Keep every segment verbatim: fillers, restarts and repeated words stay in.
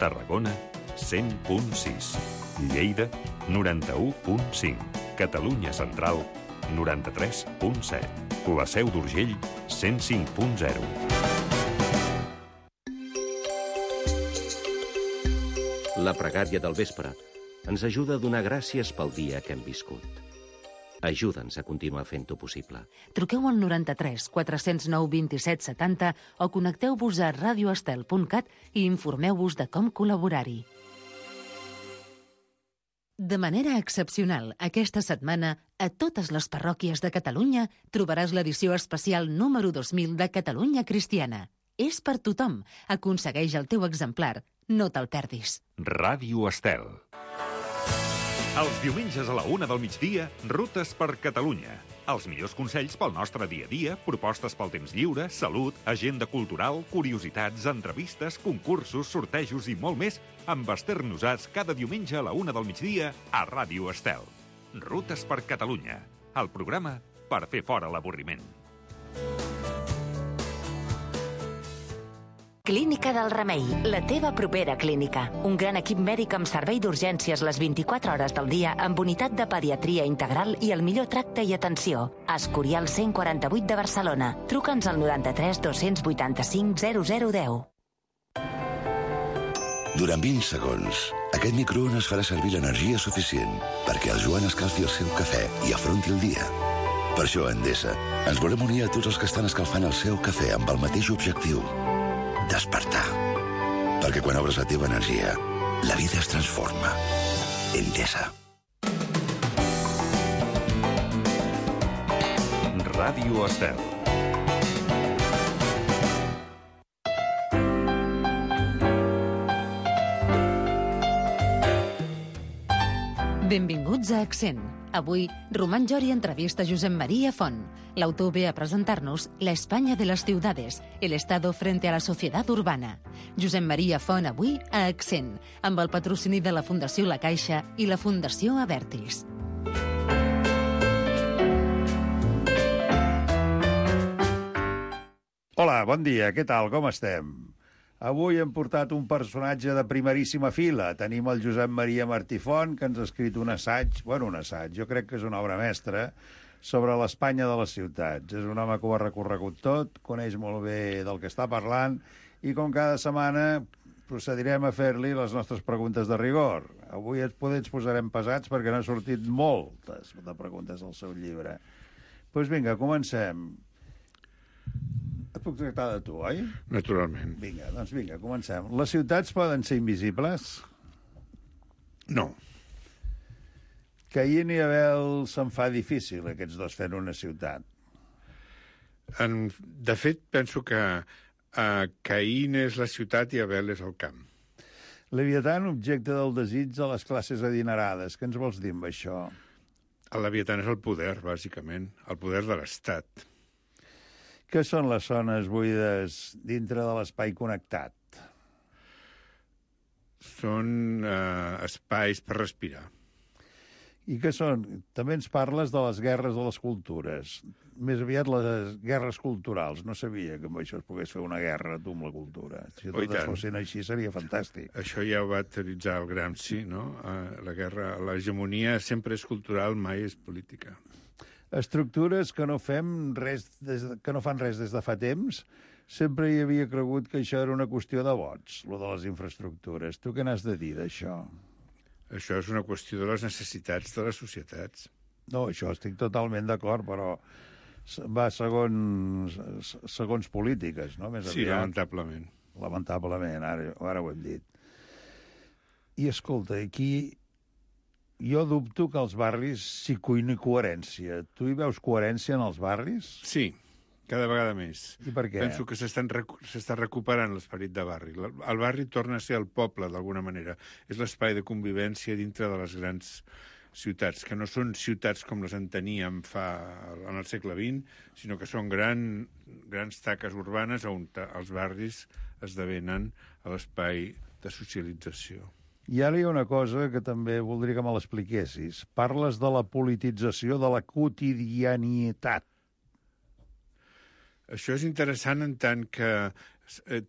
Tarragona, cent punt sis. Lleida, noranta-u punt cinc. Catalunya Central, noranta-tres punt set. La Seu d'Urgell, cent cinc punt zero. La pregària del vespre ens ajuda a donar gràcies pel dia que hem viscut. Ajuda'ns a continuar fent-ho possible. Truqueu al noranta-tres quatre zero nou vint-i-set setanta o connecteu-vos a radioestel punt cat i informeu-vos de com col·laborar-hi. De manera excepcional, aquesta setmana, a totes les parròquies de Catalunya trobaràs l'edició especial número dos mil de Catalunya Cristiana. És per tothom. Aconsegueix el teu exemplar. No te'l perdis. Ràdio Estel. Els diumenges a la una del migdia, Rutes per Catalunya. Els millors consells pel nostre dia a dia, propostes pel temps lliure, salut, agenda cultural, curiositats, entrevistes, concursos, sortejos i molt més amb Esther Nosats cada diumenge a la una del migdia a Ràdio Estel. Rutes per Catalunya, el programa per fer fora l'avorriment. Clínica del Remei, la teva propera clínica. Un gran equip mèdic amb servei d'urgències les vint-i-quatre hores del dia, amb unitat de pediatria integral i el millor tracte i atenció. Escorial cent quaranta-vuit de Barcelona. Truca'ns al noranta-tres dos vuitanta-cinc zero zero deu. Durant vint segons, aquest microones farà servir l'energia suficient perquè el Joan escalfi el seu cafè i afronti el dia. Per això, a Endesa, ens volem unir a tots els que estan escalfant el seu cafè amb el mateix objectiu: despertar. Perquè quan obres la teva energia, la vida es transforma. Endesa. Ràdio Estel. Benvinguts a Accent. Avui, Román Llori entrevista Josep María Font. L'autor ve a presentar-nos La España de las ciudades, el Estado frente a la sociedad urbana. Josep María Font avui a Accent, amb el patrocini de la Fundació La Caixa i la Fundació Abertis. Hola, bon dia, què tal, com estem? Avui hem portat un personatge de primeríssima fila. Tenim el Josep Maria Martí Font, que ens ha escrit un assaig, bueno, un assaig, jo crec que és una obra mestra, sobre l'Espanya de les ciutats. És un home que ho ha recorregut tot, coneix molt bé del que està parlant, i com cada setmana procedirem a fer-li les nostres preguntes de rigor. Avui ens, poder ens posarem pesats perquè n'ha sortit moltes de preguntes del seu llibre. Doncs pues vinga, comencem. Et puc tractar de tu, oi? Naturalment. Vinga, doncs vinga, comencem. Les ciutats poden ser invisibles? No. Caín i Abel se'n fa difícil, aquests dos, fent una ciutat. En, de fet, penso que uh, Caín és la ciutat i Abel és el camp. Leviatán, objecte del desig de les classes adinerades. Què ens vols dir amb això? El Leviatán és el poder, bàsicament, el poder de l'Estat. Què són les zones buides dintre de l'espai connectat? Són uh, espais per respirar. I què són? També ens parles de les guerres de les cultures. Més aviat les guerres culturals. No sabia que amb això es pogués fer una guerra, tu, amb la cultura. Si totes fossin així seria fantàstic. Això ja ho va teoritzar el Gramsci, no? Uh, la guerra, l'hegemonia sempre és cultural, mai és política. Estructures que no fem res des de, que no fan res des de fa temps. Sempre hi havia cregut que això era una qüestió de vots, lo de les infraestructures. Tu què n'has de dir d'això? Això és una qüestió de les necessitats de les societats. No, això estic totalment d'acord, però va segons, segons polítiques, no? Més sí, aviat. lamentablement. Lamentablement, ara, ara ho hem dit. I escolta, aquí jo dubto que als barris s'hi cuini coherència. Tu hi veus coherència en els barris? Sí, cada vegada més. I per què? Penso que s'està recuperant l'esperit de barri. El barri torna a ser el poble, d'alguna manera. És l'espai de convivència dintre de les grans ciutats, que no són ciutats com les enteníem fa en el segle vint, sinó que són gran, grans taques urbanes on els barris esdevenen l'espai de socialització. I ara hi ha una cosa que també voldria que me l'expliquessis. Parles de la politització de la quotidianitat. Això és interessant en tant que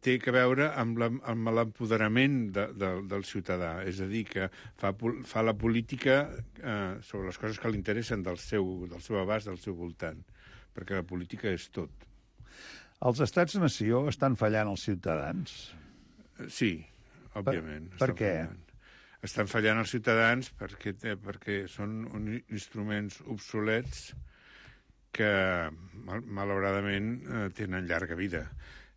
té a veure amb l'empoderament de, de, del ciutadà. És a dir, que fa, fa la política eh, sobre les coses que li interessen del seu, del seu abast, del seu voltant, perquè la política és tot. Els estats-nació estan fallant als ciutadans? Sí, òbviament. Per, per què? Fallant. Estan fallant els ciutadans perquè, perquè són uns instruments obsolets que, mal, malauradament, eh, tenen llarga vida,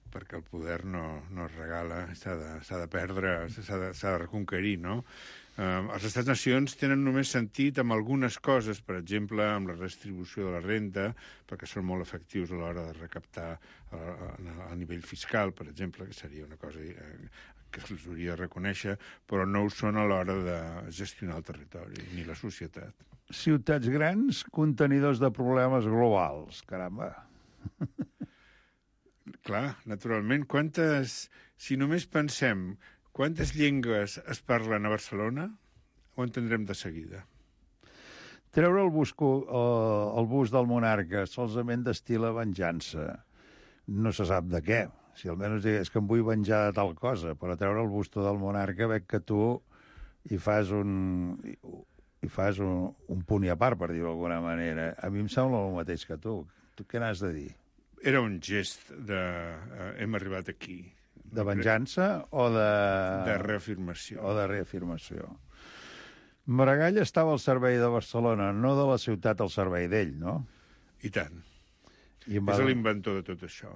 perquè el poder no, no es regala, s'ha de, s'ha de perdre, s'ha de, s'ha de reconquerir, no? Eh, els estats-nacions tenen només sentit amb algunes coses, per exemple, amb la redistribució de la renda, perquè són molt efectius a l'hora de recaptar a, a, a nivell fiscal, per exemple, que seria una cosa eh, que se'ls hauria de reconèixer, però no ho són a l'hora de gestionar el territori, ni la societat. Ciutats grans, contenidors de problemes globals, caramba. Clar, naturalment. Quantes, si només pensem quantes llengües es parlen a Barcelona, ho entendrem de seguida. Treure el, busco, eh, el bus del monarca solament destila venjança. No se sap de què. Si almenys digués que em vull venjar de tal cosa, però treure el busto del monarca veig que tu hi fas un, hi fas un, un punt i a part, per dir-ho d'alguna manera. A mi em sembla el mateix que tu. Tu què n'has de dir? Era un gest de... Uh, hem arribat aquí. De venjança o de... De reafirmació. O de reafirmació. Maragall estava al servei de Barcelona, no de la ciutat al servei d'ell, no? I tant. I va... És l'inventor de tot això.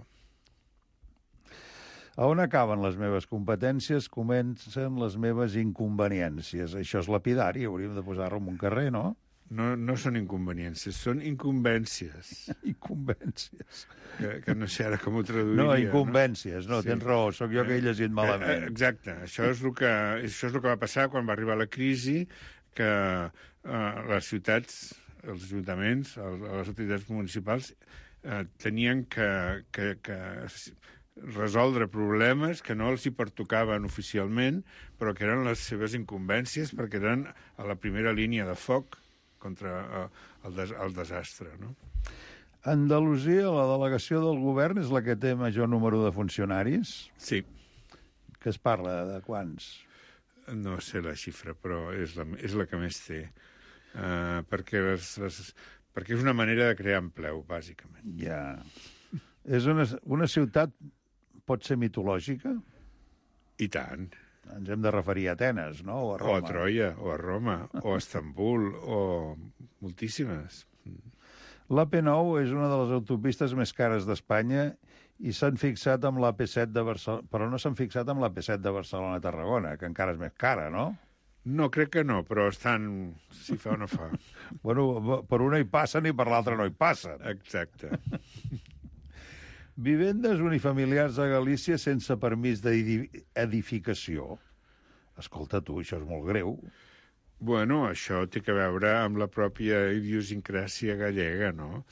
A on acaben les meves competències, comencen les meves inconveniències. Això és lapidari, hauríem de posar-ho en un carrer, no? No, no són inconveniències, són incumbències. Incumbències. Que, que no sé ara com ho traduiria. No, incumbències, no, no sí. Tens raó, sóc jo que he llegit malament. Exacte, això és el que, això és el que va passar quan va arribar la crisi, que eh, les ciutats, els ajuntaments, els, les autoritats municipals eh, tenien que... que, que resoldre problemes que no els hi pertocaven oficialment, però que eren les seves incumbències perquè eren a la primera línia de foc contra uh, el, des el desastre, no? Andalusia, la delegació del govern, és la que té major número de funcionaris? Sí. Que es parla de quants? No sé la xifra, però és la, és la que més té. Uh, perquè, les, les, perquè és una manera de crear empleu, bàsicament. Ja. És una, una ciutat... pot ser mitològica? I tant. Ens hem de referir a Atenes, no? O a Roma. O a Troia, o a Roma, o a Estambul, o moltíssimes. L'A P nou és una de les autopistes més cares d'Espanya i s'han fixat amb l'A P set de Barcelona... Però no s'han fixat amb l'A P set de Barcelona-Tarragona, que encara és més cara, no? No, crec que no, però estan... si fa o no fa. Bueno, per una hi passen i per l'altra no hi passen. Exacte. Vivendes unifamiliars a Galícia sense permís d'edificació. Escolta, tu, això és molt greu. Bueno, això té a veure amb la pròpia idiosincràsia gallega, no?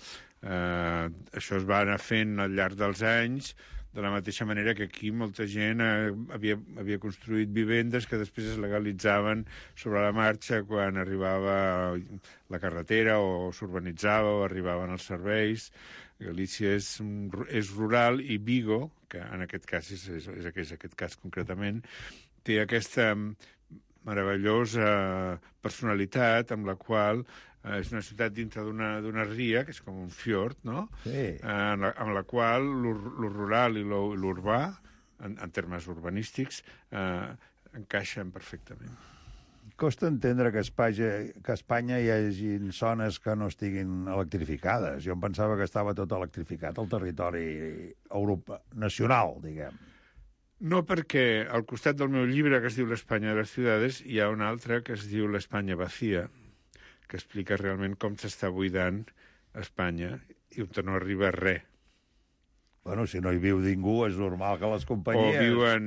Eh, això es va anar fent al llarg dels anys, de la mateixa manera que aquí molta gent eh, havia, havia construït vivendes que després es legalitzaven sobre la marxa quan arribava la carretera o s'urbanitzava o arribaven els serveis. Galícia és, és rural i Vigo, que en aquest cas és, és, és, és aquest cas concretament, té aquesta meravellosa personalitat amb la qual eh, és una ciutat dintre d'una ria, que és com un fiord, no? Sí. Eh, amb, la, amb la qual lo rural i l'urbà, en, en termes urbanístics, eh, encaixen perfectament. Costa entendre que a Espanya, que a Espanya hi hagi zones que no estiguin electrificades. Jo em pensava que estava tot electrificat al territori Europa nacional, diguem. No, perquè al costat del meu llibre, que es diu L'Espanya de les ciudades, hi ha un altre que es diu L'Espanya vacía, que explica realment com s'està buidant Espanya i on no arriba res. Bueno, si no hi viu ningú, és normal que les companyies... O viuen,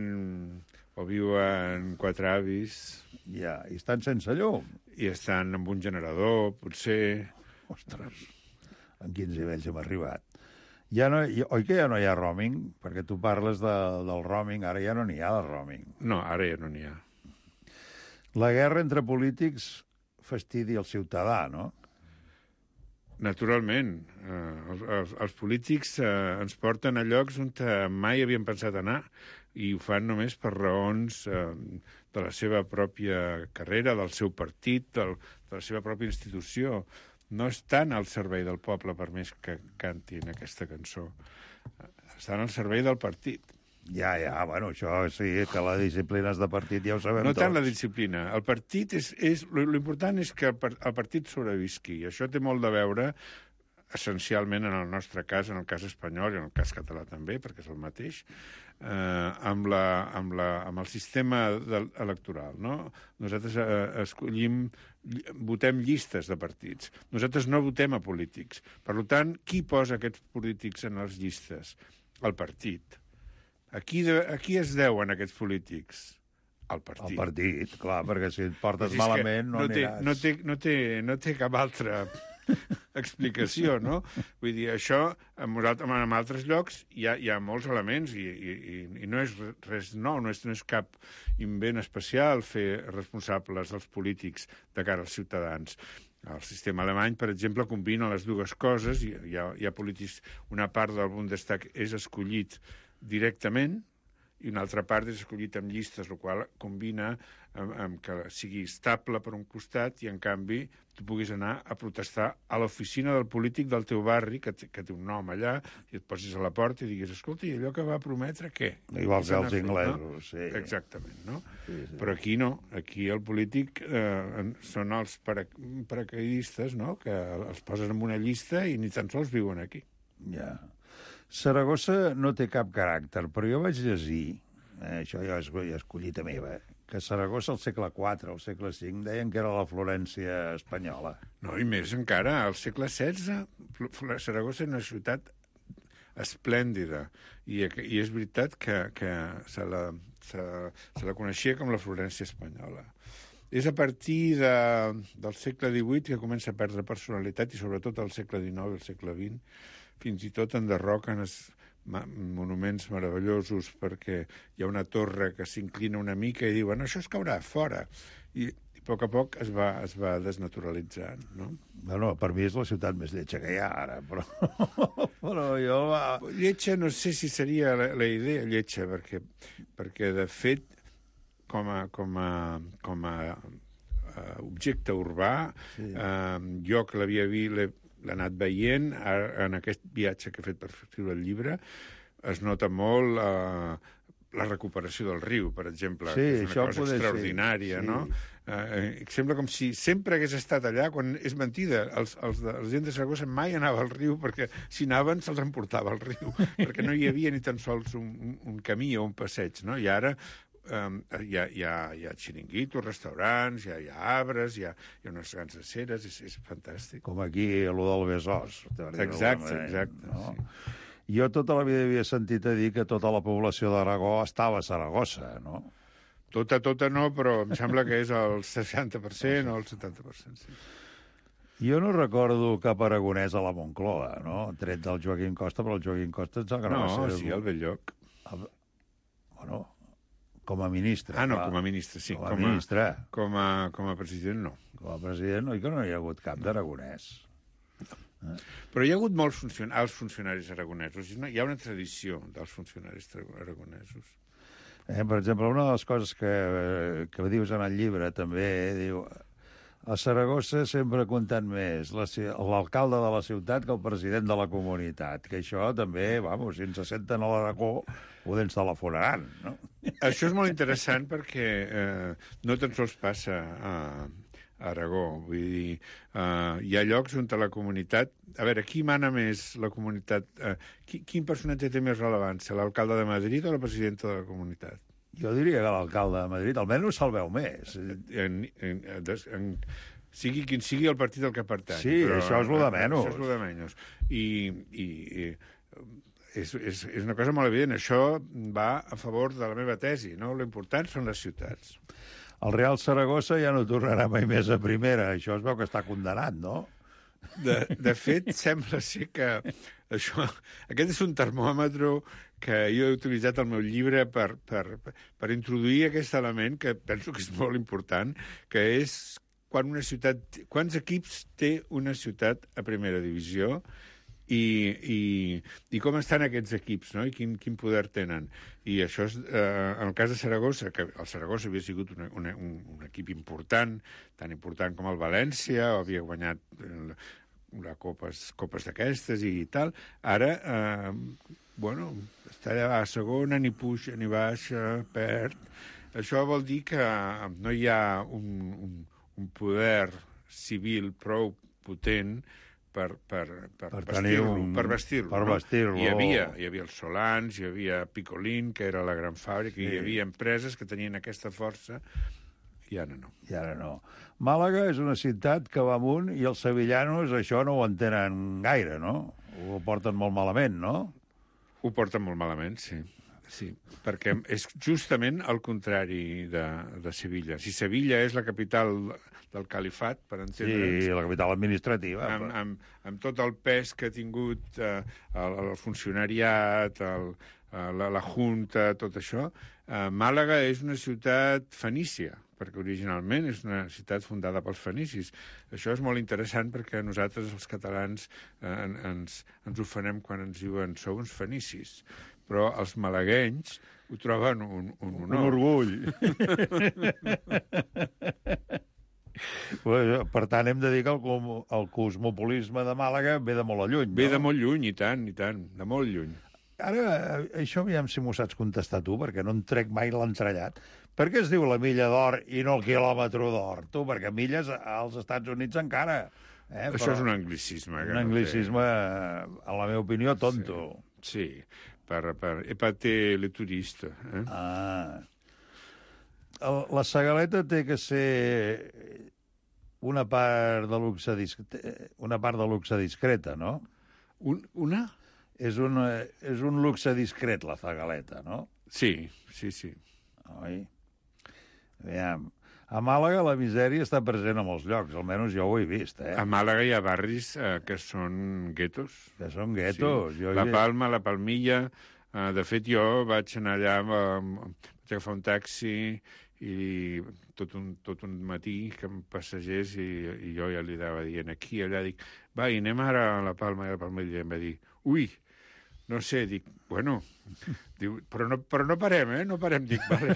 o viuen quatre avis... Ja, i estan sense llum. I estan amb un generador, potser... Ostres, en quins nivells hem arribat. Ja no, oi que ja no hi ha roaming? Perquè tu parles de, del roaming, ara ja no n'hi ha de roaming. No, ara ja no n'hi ha. La guerra entre polítics fastidia el ciutadà, no? Naturalment. Eh, els, els, els polítics eh, ens porten a llocs on mai havien pensat anar i ho fan només per raons eh, de la seva pròpia carrera, del seu partit, del, de la seva pròpia institució. No estan al servei del poble, per més que cantin aquesta cançó. Estan al servei del partit. Ja, ja, bueno, això sí, que la disciplina és de partit, ja ho sabem no tots. No tant la disciplina. El partit és... és l'important és que el, el partit sobrevisqui. Això té molt de veure, essencialment, en el nostre cas, en el cas espanyol i en el cas català també, perquè és el mateix, eh, amb, la, amb, la, amb el sistema de, electoral. No? Nosaltres eh, escollim, votem llistes de partits. Nosaltres no votem a polítics. Per tant, qui posa aquests polítics en les llistes? El partit. A qui, de, a qui es deuen aquests polítics? Al partit. Al partit, clar, perquè si et portes si malament no, no té, aniràs. No té, no, té, no té cap altra explicació, no? Vull dir, això, en, en altres llocs hi ha, hi ha molts elements i, i, i no és res nou, no és, no és cap invent especial fer responsables els polítics de cara als ciutadans. El sistema alemany, per exemple, combina les dues coses. Hi ha, hi ha polítics, una part del Bundestag és escollit directament i una altra part és escollit amb llistes, el qual combina amb, amb que sigui estable per un costat i, en canvi, tu puguis anar a protestar a l'oficina del polític del teu barri, que té, que té un nom allà, i et posis a la porta i diguis, escolta, i allò que va prometre, què? Igual que els fet, inglesos, no? sí. Exactament, no? Sí, sí. Però aquí no. Aquí el polític eh, són els para, paracaidistes, no?, que els posen en una llista i ni tan sols viuen aquí. Ja. Saragossa no té cap caràcter, però jo vaig llegir, eh, això ja és, ja és collita meva, que Saragossa al segle quatre, al segle cinc, deien que era la Florència espanyola. No, i més encara, al segle setze, Saragossa és una ciutat esplèndida, i, i és veritat que, que se, la, se, se la coneixia com la Florència espanyola. És a partir de, del segle divuit que comença a perdre personalitat, i sobretot al segle dinou i al segle vint, fins i tot enderroquen es, ma, monuments meravellosos perquè hi ha una torre que s'inclina una mica i diuen, això es caurà fora. I, i a poc a poc es va, es va desnaturalitzant, no? Bueno, per mi és la ciutat més lletja que hi ha ara, però, però jo... Va... Lletja no sé si seria la, la idea lletja, perquè, perquè de fet, com a, com a, com a uh, objecte urbà, sí. uh, jo que l'havia vist, l'he anat veient en aquest viatge que he fet per escriure el llibre, es nota molt eh, la recuperació del riu, per exemple, sí, que és una cosa extraordinària, sí. no? Eh, sembla com si sempre hagués estat allà, quan és mentida. Els, els de, la gent de Saragossa mai anava al riu, perquè si anaven se'ls emportava al riu, perquè no hi havia ni tan sols un, un, un camí o un passeig, no? I ara Um, hi, ha, hi, ha, hi ha xiringuitos, restaurants, hi ha, hi ha arbres, hi ha, hi ha unes grans aceres, és, és fantàstic. Com aquí, allò del Besòs. Exacte, exacte. No? Sí. Jo tota la vida havia sentit a dir que tota la població d'Aragó estava a Saragossa, no? Tota, tota no, però em sembla que és el seixanta per cent o el setanta per cent, sí. Jo no recordo cap aragonès a la Moncloa, no? Tret del Joaquim Costa, però el Joaquim Costa ens agrada no, ser... No, sí, al Belllloc. El... Bueno... Com a ministre. Ah, no, clar. com a ministre, sí. Com a com ministre. A, com, a, com a president, no. Com a president, oi que no hi ha hagut cap d'aragonès. No. Eh? Però hi ha hagut molts funcionaris, alts funcionaris aragonesos. Hi ha una tradició dels funcionaris aragonesos. Eh, per exemple, una de les coses que, que dius en el llibre també, eh, diu... A Saragossa sempre compten més l'alcalde de la ciutat que el president de la comunitat, que això també, vamos, si ens se senten a l'Aragó, ho ens telefonaran, no? Això és molt interessant perquè eh, no tan sols passa a, a Aragó. Vull dir, eh, hi ha llocs on la comunitat... A veure, qui mana més la comunitat? Eh, qui, quin personatge té més rellevància, l'alcalde de Madrid o la presidenta de la comunitat? Jo diria que l'alcalde de Madrid almenys se'l veu més. En, en, en, en, sigui quin sigui el partit al que pertany. Sí, però, això és el de menys. Això és el de menys. I, i, i és, és, és una cosa molt evident. Això va a favor de la meva tesi, no? L'important són les ciutats. El Real Saragossa ja no tornarà mai més a primera. Això es veu que està condenat, no? De, de fet, sembla ser que això, aquest és un termòmetre que jo he utilitzat al meu llibre per, per, per introduir aquest element que penso que és molt important, que és quan una ciutat... Quants equips té una ciutat a primera divisió i, i, i com estan aquests equips, no? I quin, quin poder tenen. I això és, eh, en el cas de Saragossa, que el Saragossa havia sigut una, una, un, un equip important, tan important com el València, havia guanyat eh, la copes, copes d'aquestes i tal, ara, eh, bueno, està allà a segona, ni puja, ni baixa, perd. Això vol dir que no hi ha un, un, un poder civil prou potent per, per, per, per vestir-lo. Un... Per vestir-lo, per no? vestir-lo. Hi havia, hi havia els Solans, hi havia Picolín, que era la gran fàbrica, sí. Hi havia empreses que tenien aquesta força, i ara no. I ara no. Màlaga és una ciutat que va amunt i els sevillanos això no ho entenen gaire, no? Ho porten molt malament, no? Ho porten molt malament, sí. Sí, perquè és justament el contrari de, de Sevilla. Si Sevilla és la capital del califat, per entendre'ns... Sí, la capital administrativa. Amb, però... amb, amb tot el pes que ha tingut eh, el, el funcionariat, el, la, la junta, tot això, eh, Màlaga és una ciutat fenícia, perquè originalment és una ciutat fundada pels fenicis. Això és molt interessant perquè nosaltres, els catalans, eh, ens, ens ofenem quan ens diuen sou uns fenicis. Però els malaguenys ho troben un, un honor. Un orgull. Per tant, hem de dir que el, el cosmopolisme de Màlaga ve de molt a lluny, no? Ve de molt lluny, i tant, i tant, de molt lluny. Ara, això aviam si m'ho saps contestar tu, perquè no en trec mai l'entrellat. Per què es diu la milla d'or i no el quilòmetre d'or? Tu, perquè milles als Estats Units encara. Eh? Això Però és un anglicisme. Un anglicisme, no en la meva opinió, tonto. Sí, sí. Per, per épater le turista. Eh? Ah. El, la Segaleta té que ser una part de luxe, una part de luxe discreta, no? Un, una? És un, és un luxe discret, la Segaleta, no? Sí, sí, sí. Oi? Aviam. A Màlaga la misèria està present a molts llocs, almenys jo ho he vist, eh? A Màlaga hi ha barris eh, que són guetos. Que són guetos. Sí. Jo la he... Palma, la Palmilla... Eh, de fet, jo vaig anar allà, eh, vaig agafar un taxi i tot un, tot un matí que em passegés i, i jo ja li anava dient aquí, allà, dic, va, i anem ara a la Palma, i la Palmilla, i em va dir, ui, no sé, dic, bueno, diu, però, no, però no parem, eh? No parem, dic, vale.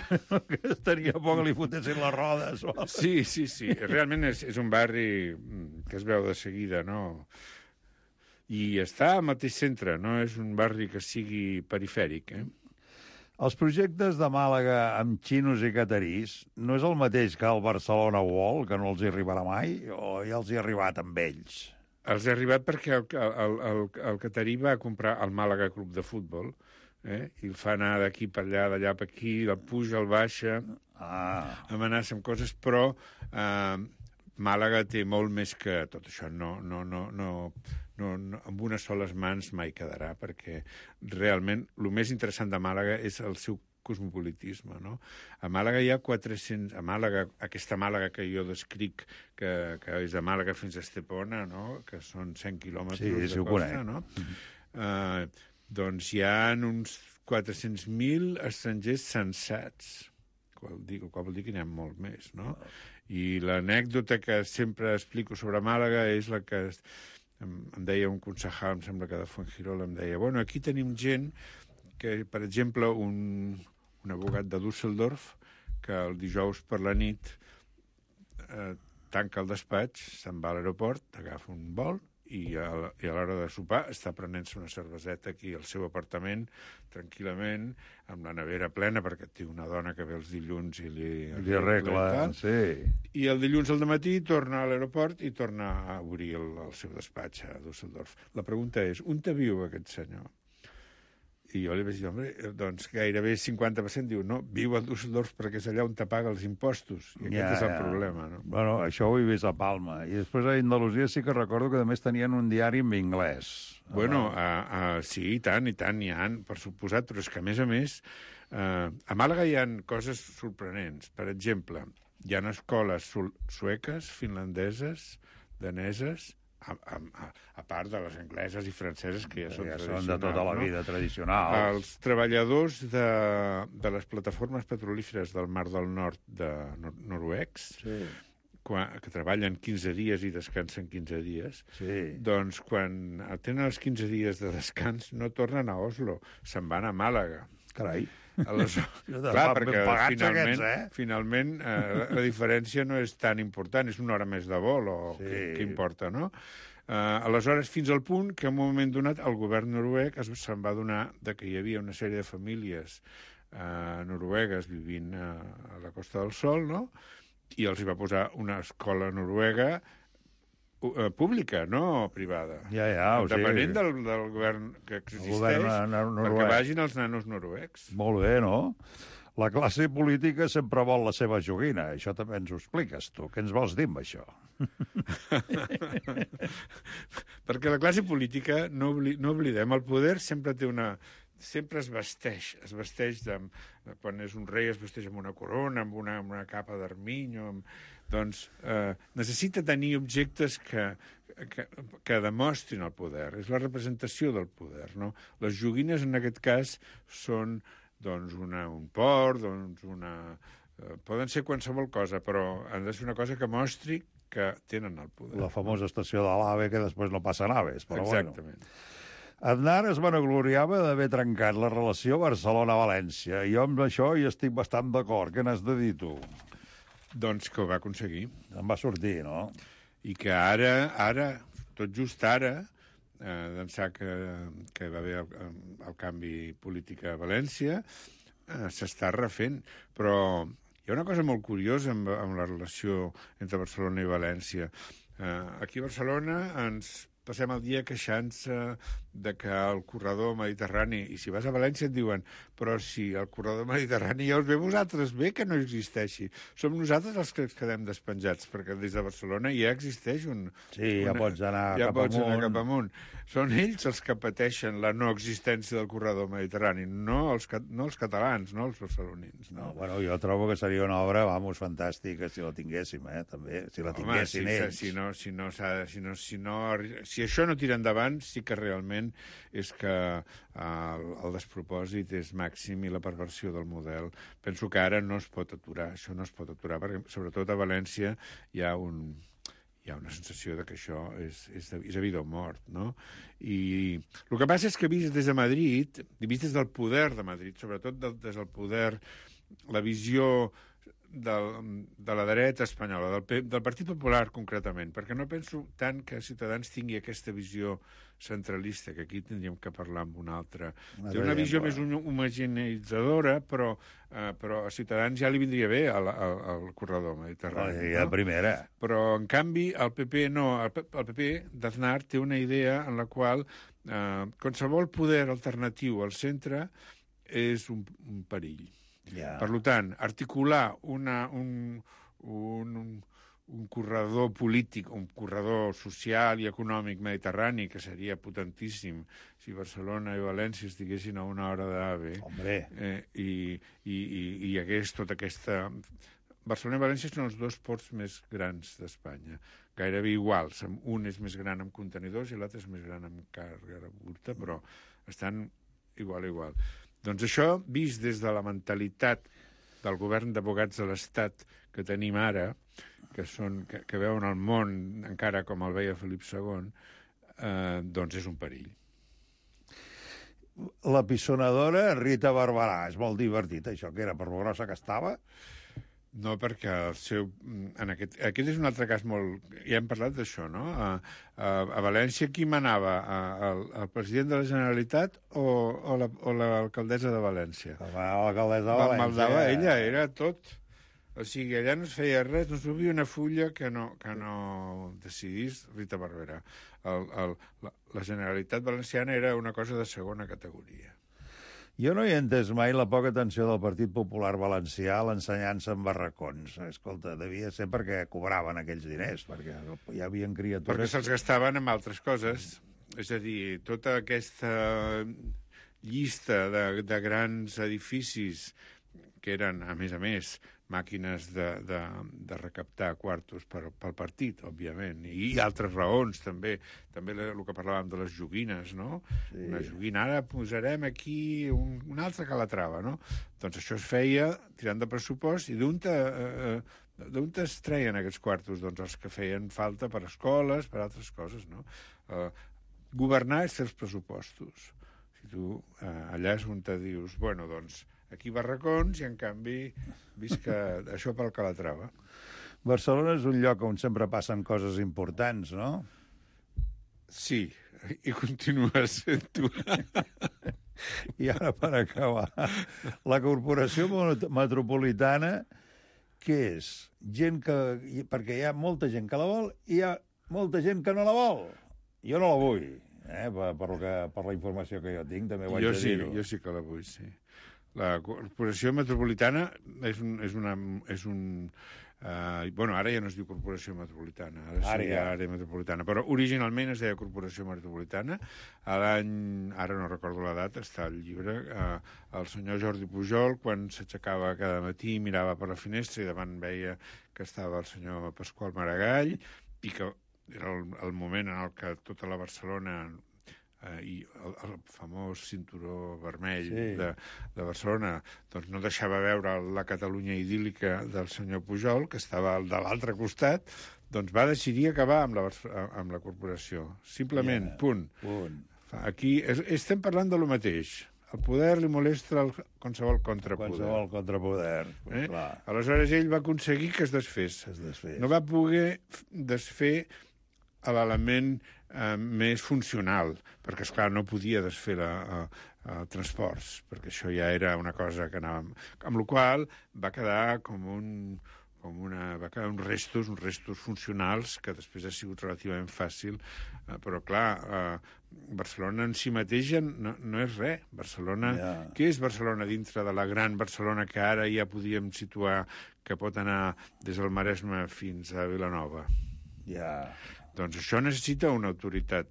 Estaria por que li fotessin les rodes. O... Sí, sí, sí. Realment és, és un barri que es veu de seguida, no? I està al mateix centre, no és un barri que sigui perifèric, eh? Els projectes de Màlaga amb xinos i catarís no és el mateix que el Barcelona World, que no els hi arribarà mai, o ja els hi ha arribat amb ells? Els ha arribat perquè el, el, el, el catarí va comprar el Màlaga Club de Futbol, eh? I el fa anar d'aquí per allà, d'allà per aquí, el puja, el baixa, ah. amenaça amb coses, però eh, Màlaga té molt més que tot això. No, no, no, no, no, no, amb unes soles mans mai quedarà, perquè realment el més interessant de Màlaga és el seu cosmopolitisme, no? A Màlaga hi ha quatre-cents... A Màlaga, aquesta Màlaga que jo descric, que, que és de Màlaga fins a Estepona, no?, que són cent quilòmetres sí, de sí, costa, no? Mm-hmm. Uh, doncs hi ha uns quatre-cents mil estrangers censats, qual, dic, qual vol dir que n'hi ha molt més, no? I l'anècdota que sempre explico sobre Màlaga és la que em, em deia un concejal, em sembla que de Fuengirola, em deia, bueno, aquí tenim gent que, per exemple, un, un abogat de Düsseldorf, que el dijous per la nit eh, tanca el despatx, se'n va a l'aeroport, agafa un vol i a, i a l'hora de sopar està prenent-se una cerveseta aquí al seu apartament, tranquil·lament, amb la nevera plena, perquè té una dona que ve els dilluns i li, li arregla, sí. I el dilluns al dematí torna a l'aeroport i torna a obrir el, el seu despatx a Düsseldorf. La pregunta és, on te viu aquest senyor? I jo li vaig dir, home, doncs gairebé cinquanta per cent diu, no, viu a Düsseldorf perquè és allà on te paga els impostos. I aquest ja, és el ja. problema, no? Bueno, això ho he vist a Palma. I després a Andalusia sí que recordo que a més tenien un diari en anglès. Bueno, a, a, sí, i tant, i tant, n'hi ha, per suposat, però és que a més a més, eh, a Màlaga hi ha coses sorprenents. Per exemple, hi ha escoles sueques, finlandeses, daneses, A, a, a part de les angleses i franceses, que ja són ja tradicionals. Són de tota la vida, no? Tradicionals. Els treballadors de, de les plataformes petrolíferes del Mar del Nord de nor noruecs, sí. quan, que treballen quinze dies i descansen quinze dies, Sí. doncs quan tenen els quinze dies de descans no tornen a Oslo, se'n van a Màlaga. Carai. Aleshores, De clar, ben perquè pagats finalment, aquests, eh? finalment eh, la, la diferència no és tan important, és una hora més de vol, o Sí. què, què importa, no? Eh, aleshores, fins al punt que en un moment donat el govern noruec es- se'n va adonar de que hi havia una sèrie de famílies eh, noruegues vivint eh, a la Costa del Sol, no?, i els hi va posar una escola noruega eh, pública, no privada. Ja, ja, o sigui... Depenent del, del govern que existeix, govern nor- noruec. perquè vagin els nanos noruecs. Molt bé, no? La classe política sempre vol la seva joguina. Això també ens ho expliques, tu. Què ens vols dir amb això? Perquè la classe política, no, obli no oblidem, el poder sempre té una... sempre es vesteix, es vesteix de, de, quan és un rei es vesteix amb una corona, amb una, amb una capa d'arminyo, amb... doncs eh, necessita tenir objectes que, que, que demostrin el poder, és la representació del poder, no? Les joguines en aquest cas són doncs una, un port, doncs una... Eh, poden ser qualsevol cosa, però han de ser una cosa que mostri que tenen el poder. La famosa estació de l'AVE, que després no passa naves, però Exactament. bueno. Aznar es vanagloriava d'haver trencat la relació Barcelona-València. Jo amb això hi estic bastant d'acord. Què n'has de dir, tu? Doncs que ho va aconseguir. Em va sortir, no? I que ara, ara, tot just ara, eh, d'ençà que, que va haver el, el canvi polític a València, eh, s'està refent. Però hi ha una cosa molt curiosa amb, amb la relació entre Barcelona i València. Eh, aquí a Barcelona ens passem el dia queixant-se de que el corredor mediterrani, i si vas a València et diuen, però si el corredor mediterrani ja us ve vosaltres bé que no existeixi. Som nosaltres els que ens quedem despenjats, perquè des de Barcelona ja existeix un... Sí, ja una, pots anar ja cap pots amunt. anar cap amunt. Són ells els que pateixen la no existència del corredor mediterrani, no els, no els catalans, no els barcelonins. No? No, bueno, jo trobo que seria una obra, vamos, fantàstica, si la tinguéssim, eh, també, si la tinguessin Home, si, ells. si, no, si, no, si, no, si, no, si això no tira endavant, sí que realment és que eh, el, el despropòsit és màxim i la perversió del model. Penso que ara no es pot aturar, això no es pot aturar, perquè sobretot a València hi ha un... hi ha una sensació de que això és, és, de, és a vida o mort, no? I el que passa és que vist des de Madrid, vist des del poder de Madrid, sobretot del, des del poder, la visió del, de la dreta espanyola, del, del Partit Popular concretament, perquè no penso tant que Ciutadans tingui aquesta visió centralista, que aquí tindríem que parlar amb una altra. Té una visió més homogeneitzadora, però, eh, però a Ciutadans ja li vindria bé al, al, al corredor mediterrani. Ja, no? Primera. Però, en canvi, el P P no. El, el P P d'Aznar té una idea en la qual eh, qualsevol poder alternatiu al centre és un, un perill. Ja. Per tant, articular una, un, un, un corredor polític, un corredor social i econòmic mediterrani, que seria potentíssim si Barcelona i València estiguessin a una hora d'AVE, eh, i, i, i hi hagués tota aquesta... Barcelona i València són els dos ports més grans d'Espanya, gairebé iguals. Un és més gran amb contenidors i l'altre és més gran amb càrrega bruta, però estan igual a igual. Doncs això, vist des de la mentalitat del govern d'abogats de l'Estat que tenim ara, que, són, que, que veuen el món encara com el veia Felip segon, eh, doncs és un perill. La pissonadora Rita Barberà, és molt divertit, això, que era per lo grossa que estava. No, perquè el seu... En aquest, aquest és un altre cas molt... Ja hem parlat d'això, no? A, a, a València qui manava? A, a, el president de la Generalitat o, o l'alcaldessa la, de València? L'alcaldessa de València. Maldava ella, era tot. O sigui, allà no es feia res, no es movia una fulla que no, que no decidís Rita Barberà. El, el, la, la Generalitat valenciana era una cosa de segona categoria. Jo no hi he entès mai la poca atenció del Partit Popular Valencià a l'ensenyança en barracons. Escolta, devia ser perquè cobraven aquells diners, perquè hi havia criatures... Perquè se'ls gastaven en altres coses. És a dir, tota aquesta llista de, de grans edificis que eren, a més a més, màquines de, de, de recaptar quartos per, pel partit, òbviament, i altres raons, també. També el que parlàvem de les joguines, no? Sí. Una joguina, ara posarem aquí un, una altra calatrava, no? Doncs això es feia tirant de pressupost i d'un te, eh, d'on es treien aquests quartos? Doncs els que feien falta per escoles, per altres coses, no? Uh, governar és fer els pressupostos. Si tu uh, allà és on te dius, bueno, doncs aquí barracons i, en canvi, visca això pel Calatrava. Barcelona és un lloc on sempre passen coses importants, no? Sí, i continua sent-ho. I ara, per acabar, la Corporació Metropolitana, què és? Gent que... Perquè hi ha molta gent que la vol i hi ha molta gent que no la vol. Jo no la vull, eh? per, per, lo que, per la informació que jo tinc, també ho haig jo de sí, dir-ho. Jo sí que la vull, sí. La Corporació Metropolitana és un... És una, és un Uh, bueno, ara ja no es diu Corporació Metropolitana, ara és ara, ja. Àrea Metropolitana, però originalment es deia Corporació Metropolitana. A l'any, ara no recordo la data, està al llibre, uh, el senyor Jordi Pujol, quan s'aixecava cada matí, mirava per la finestra i davant veia que estava el senyor Pasqual Maragall, i que era el, el moment en el que tota la Barcelona... Uh, i el, el famós cinturó vermell sí. de, de Barcelona doncs no deixava veure la Catalunya idíl·lica del senyor Pujol, que estava de l'altre costat, doncs va decidir acabar amb la, amb la corporació. Simplement, yeah. punt. punt. Aquí es, estem parlant de lo mateix. El poder li molesta el, qualsevol contrapoder. Qualsevol contrapoder, eh? clar. Aleshores ell va aconseguir que es desfés. Es desfés. No va poder desfer l'element eh, més funcional, perquè, esclar, no podia desfer la, a, a transports, perquè això ja era una cosa que anava... Amb la qual va quedar com un... com una, va quedar uns restos, uns restos funcionals, que després ha sigut relativament fàcil, eh, però, clar, eh, Barcelona en si mateixa no, no és res. Barcelona... Yeah. Què és Barcelona dintre de la gran Barcelona que ara ja podíem situar que pot anar des del Maresme fins a Vilanova? Ja... Yeah. Doncs això necessita una autoritat,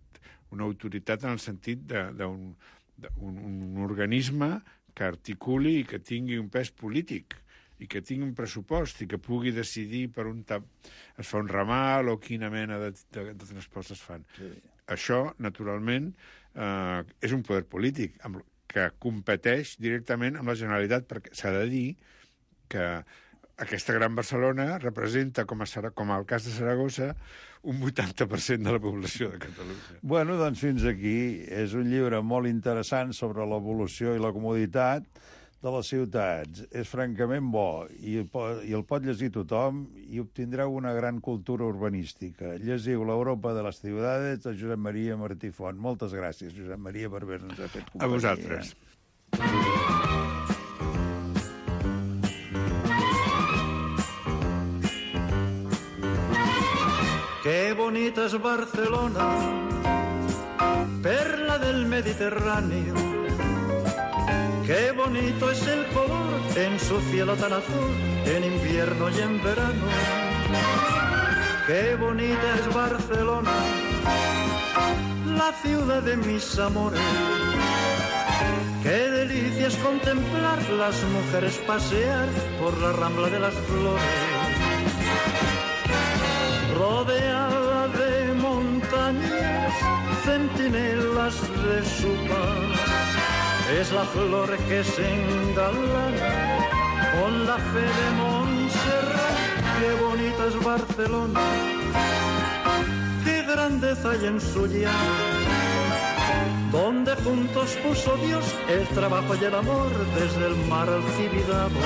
una autoritat en el sentit d'un un, un organisme que articuli i que tingui un pes polític i que tingui un pressupost i que pugui decidir per on es fa un ramal o quina mena de, de, de transports es fan. Sí. Això, naturalment, eh, és un poder polític amb, que competeix directament amb la Generalitat, perquè s'ha de dir que aquesta gran Barcelona representa, com a, com a el cas de Saragossa, un vuitanta per cent de la població de Catalunya. Bueno, doncs fins aquí. És un llibre molt interessant sobre l'evolució i la comoditat de les ciutats. És francament bo i el, pot, i el pot llegir tothom i obtindreu una gran cultura urbanística. Llegiu l'Europa de les ciutats de Josep Maria Martí Font. Moltes gràcies, Josep Maria, per haver-nos fet companyia. A vosaltres. Qué bonita es Barcelona, perla del Mediterráneo. Qué bonito es el color en su cielo tan azul, en invierno y en verano. Qué bonita es Barcelona, la ciudad de mis amores. Qué delicia es contemplar las mujeres pasear por la Rambla de las Flores. Rodeada de montañas, centinelas de su paz, es la flor que se engalana con la fe de Montserrat. Qué bonita es Barcelona, qué grandeza hay en su llano, donde juntos puso Dios el trabajo y el amor desde el mar al Tibidabo.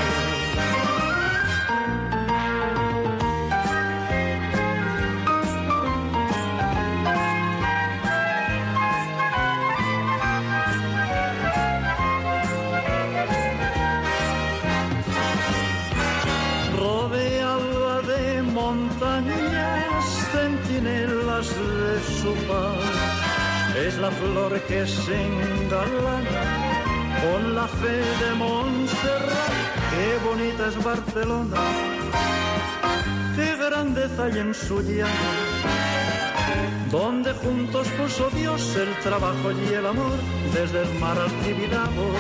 De su paz, es la flor que se engalana con la fe de Montserrat. Qué bonita es Barcelona, qué grandeza hay en su llano, donde juntos puso Dios el trabajo y el amor desde el mar al Tibidabo.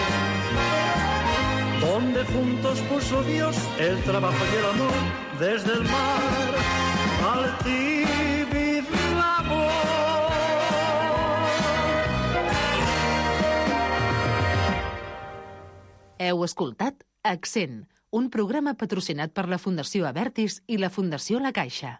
Donde juntos puso Dios el trabajo y el amor desde el mar al Tibidabo. Heu escoltat Accent, un programa patrocinat per la Fundació Abertis i la Fundació La Caixa.